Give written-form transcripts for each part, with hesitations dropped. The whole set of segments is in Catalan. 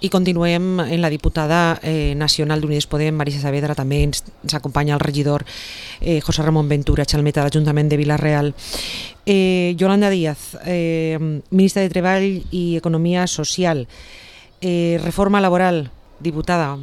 I continuem en la diputada nacional d'Unides Podem, Marisa Saavedra. També ens acompanya el regidor José Ramón Ventura Chalmeta, de l'Ajuntament de Vila-real. Yolanda Díaz, ministra de Treball i Economia Social. Reforma laboral, diputada.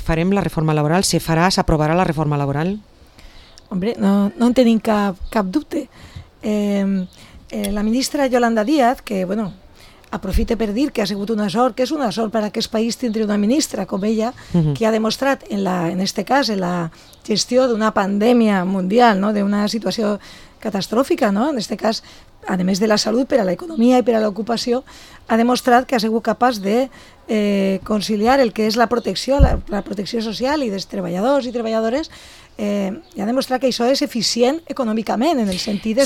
Farem la reforma laboral? Se farà, s'aprovarà la reforma laboral? Hombre, no en tenim cap dubte. La ministra Yolanda Díaz, que, bueno, aprofite per dir que ha sigut una sort, que és una sort per a aquest país tindre una ministra com ella, que ha demostrat, en este cas, en la gestió d'una pandèmia mundial, no? D'una situació catastròfica, no? En este cas, a més de la salut, per a l'economia i per a l'ocupació, ha demostrat que ha sigut capaç de conciliar el que és la protecció social i dels treballadors i treballadores, i ha demostrat que això és eficient econòmicament, en el sentit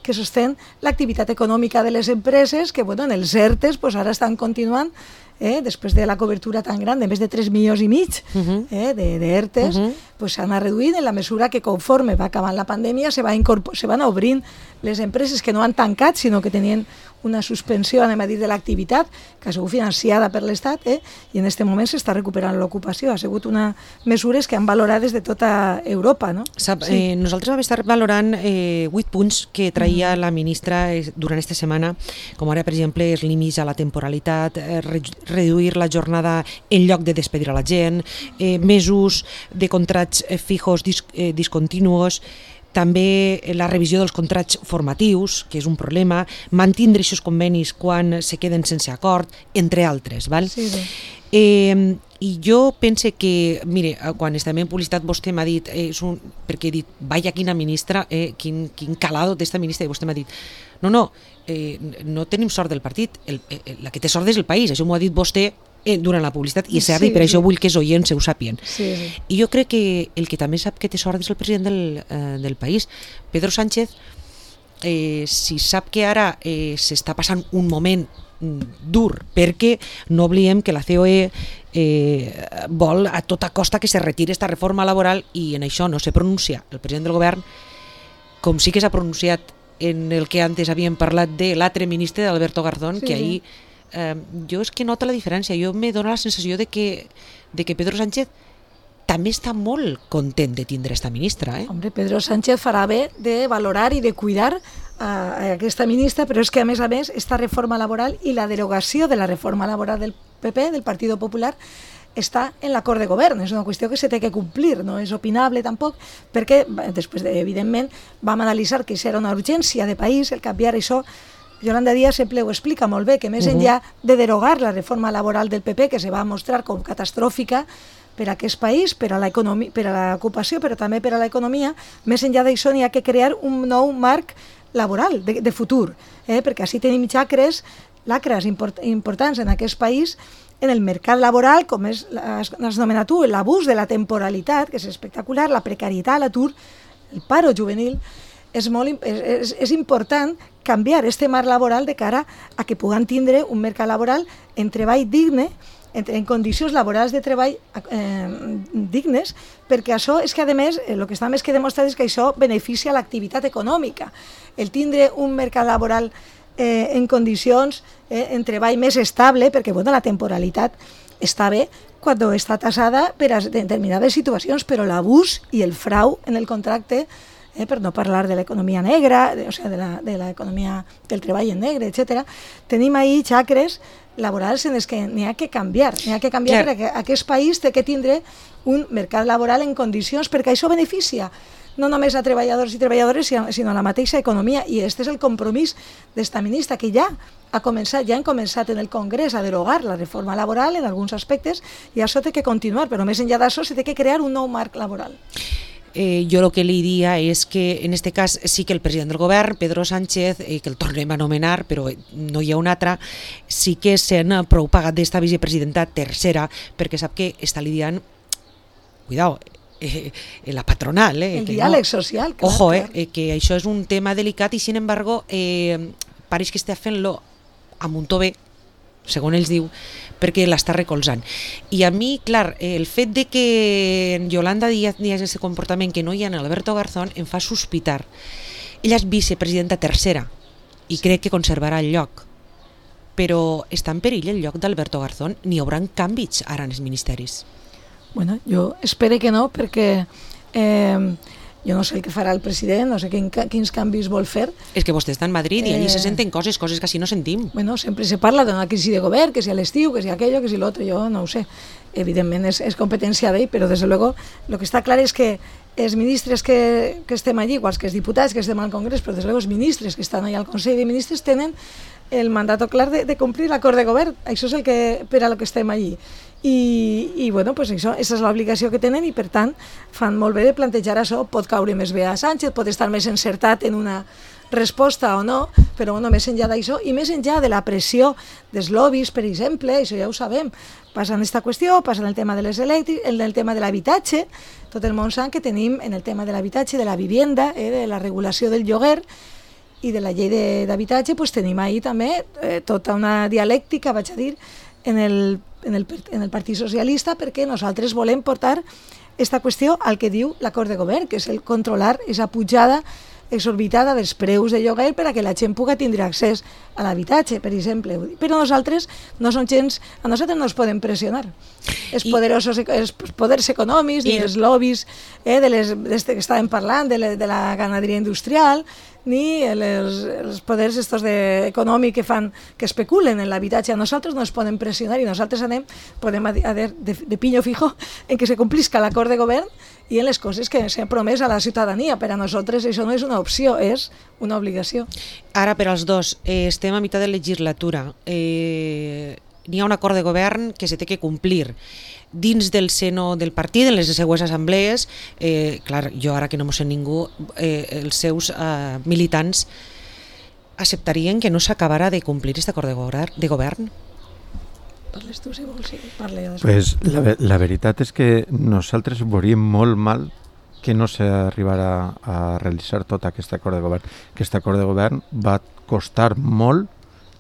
que sostén l'activitat econòmica de les empreses, que en els ERTEs ara estan continuant, després de la cobertura tan gran de més de 3,5 milions d'ERTEs, s'han reduït en la mesura que conforme va acabant la pandèmia se van obrint les empreses que no han tancat, sinó que tenien una suspensió, anem a dir, de l'activitat, que ha sigut financiada per l'Estat, i en aquest moment s'està recuperant l'ocupació. Ha sigut unes mesures que han valorat des de tota Europa. No? Nosaltres vam estar valorant 8 punts que traia la ministra durant aquesta setmana, com ara, per exemple, els límits a la temporalitat, reduir la jornada en lloc de despedir a la gent, més ús de contrats fijos discontinuos, també la revisió dels contrats formatius, que és un problema, mantindre aquests convenis quan se queden sense acord, entre altres. Val? Sí. I jo pense que, mire, quan estàvem en publicitat vostè m'ha dit, perquè he dit, vaya quina ministra, quin calado d'esta ministra, i vostè m'ha dit, no tenim sort del partit, la que té sort és el país, això m'ho ha dit vostè durant la publicitat, i és cert, i per això vull que els oients ho sàpien. I jo crec que el que també sap que té sort és el president del país. Pedro Sánchez, si sap que ara s'està passant un moment dur, perquè no oblidem que la COE vol a tota costa que se retiri esta reforma laboral, i en això no se pronuncia el president del govern, com sí que s'ha pronunciat en el que antes havíem parlat de l'altre ministre, d'Alberto Garzón, que ahir jo és que noto la diferència. Jo me dóna la sensació de que Pedro Sánchez també està molt content de tindre esta ministra. Hombre, Pedro Sánchez farà bé de valorar i de cuidar a aquesta ministra, però és que a més, esta reforma laboral i la derogació de la reforma laboral del PP, del Partido Popular, està en l'acord de govern, és una qüestió que se té que complir, no és opinable tampoc, perquè després, evidentment, vam analitzar que això era una urgència de país, el canviar això. Yolanda Díaz sempre ho explica molt bé, que més enllà de derogar la reforma laboral del PP, que se va mostrar com catastròfica per a aquest país, per a l'ocupació, però també per a l'economia, més enllà d'això n'hi ha que crear un nou marc laboral de futur, perquè així tenim lacres importants en aquest país, en el mercat laboral, com has anomenat tu, l'abús de la temporalitat, que és espectacular, la precarietat, l'atur, el paro juvenil. És important canviar aquest marc laboral de cara a que puguem tindre un mercat laboral en treball digne, en condicions laborals de treball dignes, perquè això és que, a més, el que està més que demostrat és que això beneficia l'activitat econòmica. El tindre un mercat laboral en condicions, en treball més estable, perquè la temporalitat està bé quan està tassada per a determinades situacions, però l'abús i el frau en el contracte, per no parlar de l'economia negra, de l'economia del treball en negre, etc. Tenim ahí xacres laborals en els que n'hi ha que canviar. Perquè aquest país té que tindre un mercat laboral en condicions, perquè això beneficia no només a treballadors i treballadores, sinó a la mateixa economia. I aquest és el compromís d'esta ministra, que ja han començat en el Congrés a derogar la reforma laboral en alguns aspectes, i això té que continuar, però més enllà d'això s'ha de crear un nou marc laboral. Jo el que li diria és que en aquest cas sí que el president del govern, Pedro Sánchez, que el tornem a anomenar, però no hi ha un altre, sí que s'han prou pagat d'esta vicepresidenta tercera, perquè sap que està lidiant, cuidao, la patronal. El diàleg social. Ojo, que això és un tema delicat i, sin embargo, pareix que està fent-lo amb un to bé, segons ells diu, perquè l'està recolzant. I a mi, clar, el fet de que en Yolanda Díaz hi hagi aquest comportament que no hi ha en Alberto Garzón em fa sospitar. Ella és vicepresidenta tercera i crec que conservarà el lloc. però està en perill el lloc d'Alberto Garzón? N'hi haurà canvis ara en els ministeris? Bueno, jo espero que no, perquè jo no sé el que farà el president, no sé quins canvis vol fer. És que vostè està en Madrid i allí se senten coses que així no sentim. Bueno, sempre se parla d'una crisi de govern, que si a l'estiu, que si aquello, que si l'altre, jo no ho sé. Evidentment és competència d'ell, però des de luego lo que està clar és que els ministres que estem allí, igual que els diputats que estem al Congrés, però des de luego els ministres que estan allà al Consell de Ministres tenen el mandat clar de complir l'acord de govern. Això és el que per a lo que estem allí. I bueno, pues això és l'obligació que tenen i per tant fan molt bé de plantejar això. Pot caure més bé a Sánchez, pot estar més encertat en una resposta o no, però bueno, més enllà d'això i més enllà de la pressió dels lobbies, per exemple, això ja ho sabem, passa en aquesta qüestió, passa en el tema de les elèctriques, en el tema de l'habitatge, tot el món sap que tenim en el tema de l'habitatge, de la vivienda, de la regulació del lloguer i de la llei d'habitatge, pues tenim ahí també tota una dialèctica, vaig a dir, en el Partit Socialista, perquè nosaltres volem portar aquesta qüestió al que diu l'acord de govern, que és el controlar aquesta pujada exorbitada dels preus de lloguer per a que la gent pugui tindre accés a l'habitatge, per exemple. Però nosaltres no som gens, a nosaltres no ens podem pressionar. Els poders econòmics i els lobbies que estàvem parlant, de la ganaderia industrial, ni els poders econòmics que especulen en l'habitatge. A nosaltres no ens podem pressionar i nosaltres podem de piño fijo en que se complisca l'acord de govern i en les coses que s'han promès a la ciutadania. Per a nosaltres això no és una opció, és una obligació. Ara, per als dos, estem a meitat de legislatura. N'hi ha un acord de govern que se té que complir. Dins del seno del partit, en les següents assemblees, clar, jo ara que no m'ho sé ningú, els seus militants acceptarien que no s'acabarà de complir aquest acord de govern? Parles tu, si vols, sí, parle jo després. Pues la veritat és que nosaltres veuríem molt mal que no s'arribarà a realitzar tot aquest acord de govern. Aquest acord de govern va costar molt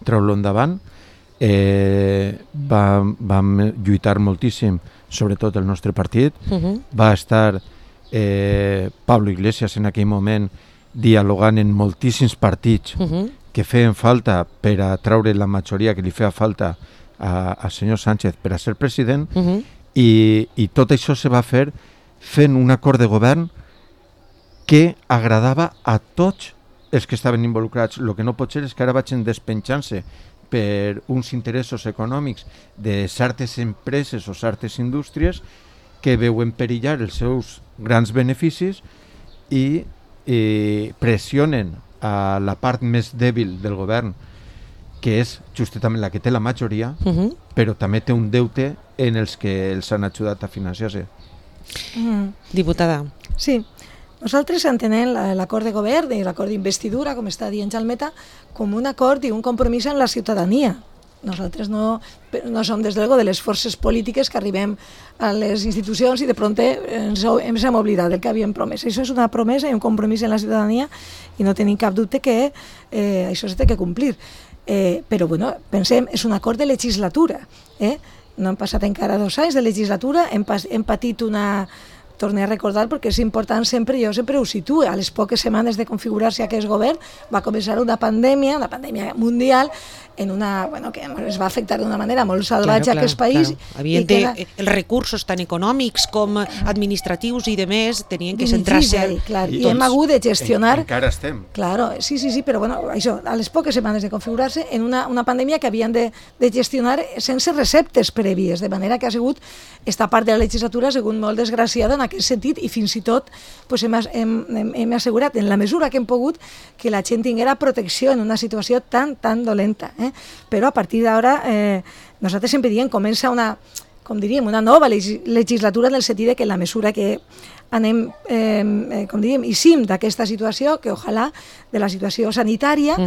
treure-lo endavant. Vam lluitar moltíssim, sobretot el nostre partit. Va estar Pablo Iglesias en aquell moment dialogant en moltíssims partits que feien falta per a treure la majoria que li feia falta al senyor Sánchez per a ser president, i tot això se va fer fent un acord de govern que agradava a tots els que estaven involucrats. El que no pot ser és que ara vagin despenjant-se per uns interessos econòmics de certes empreses o certes indústries que veuen perillar els seus grans beneficis i pressionen a la part més dèbil del govern, que és justament la que té la majoria, però també té un deute en els que els han ajudat a financiar-se. Diputada. Sí, nosaltres entenem l'acord de govern i l'acord d'investidura, com està dient Jalmeta, com un acord i un compromís amb la ciutadania. Nosaltres no som, des de les forces polítiques que arribem a les institucions i de prompt ens hem oblidat del que havíem promès. Això és una promesa i un compromís en la ciutadania i no tenim cap dubte que això s'ha de complir. Però bueno, pensem, és un acord de legislatura. No han passat encara 2 anys de legislatura, hem patit una... Torno a recordar perquè és important sempre, jo sempre ho situo, a les poques setmanes de configurar-se aquest govern va començar una pandèmia mundial, que es va afectar d'una manera molt salvatge a aquest país. Els recursos tant econòmics com administratius i demés tenien que centrar-se... I hem hagut de gestionar... Encara estem. Claro, sí, però bueno, això, a les poques setmanes de configurar-se en una pandèmia que havien de gestionar sense receptes prèvies, de manera que ha sigut esta part de la legislatura ha sigut molt desgraciada en aquest sentit i fins i tot hem assegurat en la mesura que hem pogut que la gent tinguera protecció en una situació tan dolenta. Però a partir d'ara nosaltres sempre diem comença una nova legislatura en el sentit que la mesura que anem, eixim d'aquesta situació, que ojalà de la situació sanitària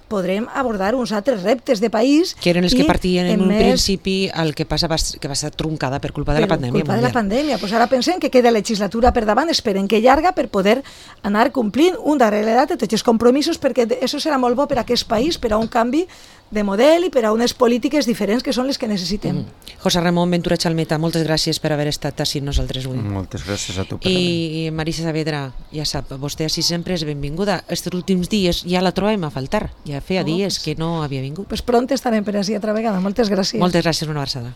podrem abordar uns altres reptes de país. Que eren els que partien en un principi el que va ser truncada per culpa de la pandèmia. Per culpa de la pandèmia. Pues ara pensem que queda legislatura per davant, esperem que llarga per poder anar complint un darrere l'altre tots els compromisos, perquè això serà molt bo per a aquest país, per a un canvi de model i per a unes polítiques diferents que són les que necessitem. José Ramón Ventura Chalmeta, moltes gràcies per haver estat així amb nosaltres avui. Moltes gràcies a tu. I Marisa Saavedra, ja sap, vostè així sempre és benvinguda. Estos últims dies ja la trobem a faltar, ja feia dies que no havia vingut. Pues pront estarem per així altra vegada. Moltes gràcies. Moltes gràcies, una abraçada.